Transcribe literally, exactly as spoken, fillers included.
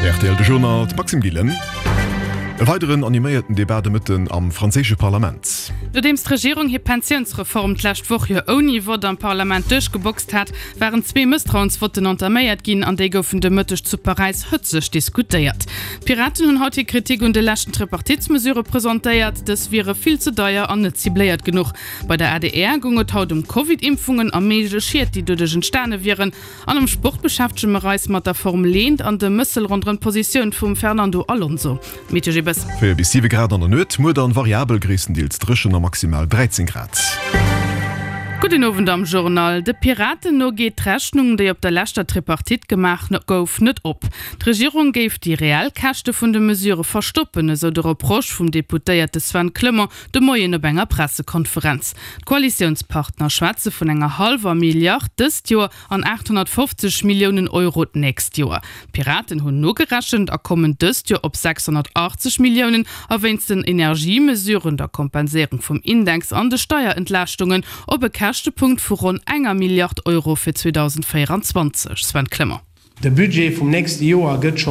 R T L de Journal, Maxime Gillen. E weideren animéierten Debat de Mëtten am franséische Parlament. Nodeems d'Regierung hir Pensiounsreform d'lescht Woch jo ouni Vott am Parlament duerchgeboxt hat, waren zwee Mësstrauensvotten entaméiert ginn an déi goufen de Mëtteg zu Paräis hëtzeg diskutéiert. D'Piraten hunn haut hir Kritik un de leschten Tripartitesmesurë presentéiert, dës wiere vill ze deier an net cibléiert genuch. Bei der A D R goung et haut ëm Covid-Impfungen a méiglech Schied, déi doduerch entstane wieren. An am Sport beschäftege mer eis mat der Formel eent an dem Mëssel ronderëm d'Positioun vum Fernando Alonso. Meteo G. Véier bis siwe Grad an der Nuet, muer dann variabel, gréisstendeels dréchen a maximal dräizéng Grad. Gudden Owend am Journal. De Piraten no geet d'Rechnung, déi op der leschter Tripartite gemaach gouf, net op. D'Regierung géif déi reell Käschte vun de Mesure verstoppen, esou de Reproche vum Deputéierte Sven Clement de Moien op enger Pressekonferenz. D'Koalitiounspartner schwätze vun enger hallwer Milliard dëst Joer an aathonnertfofzeg Milliounen Euro d'nächst Joer. D'Piraten hunn nogerechent a kommen dëst Joer op sechshonnertachtzeg Milliounen a wéinst den Energiemesuren, der Kompenséierung vum Index an de Steierentlaaschtunge op e Käschtepunkt vu ronn enger Milliard Euro fir zweedausendvéierenzwanzeg. Sven Clement. De Budget vum nächste Joer gëtt scho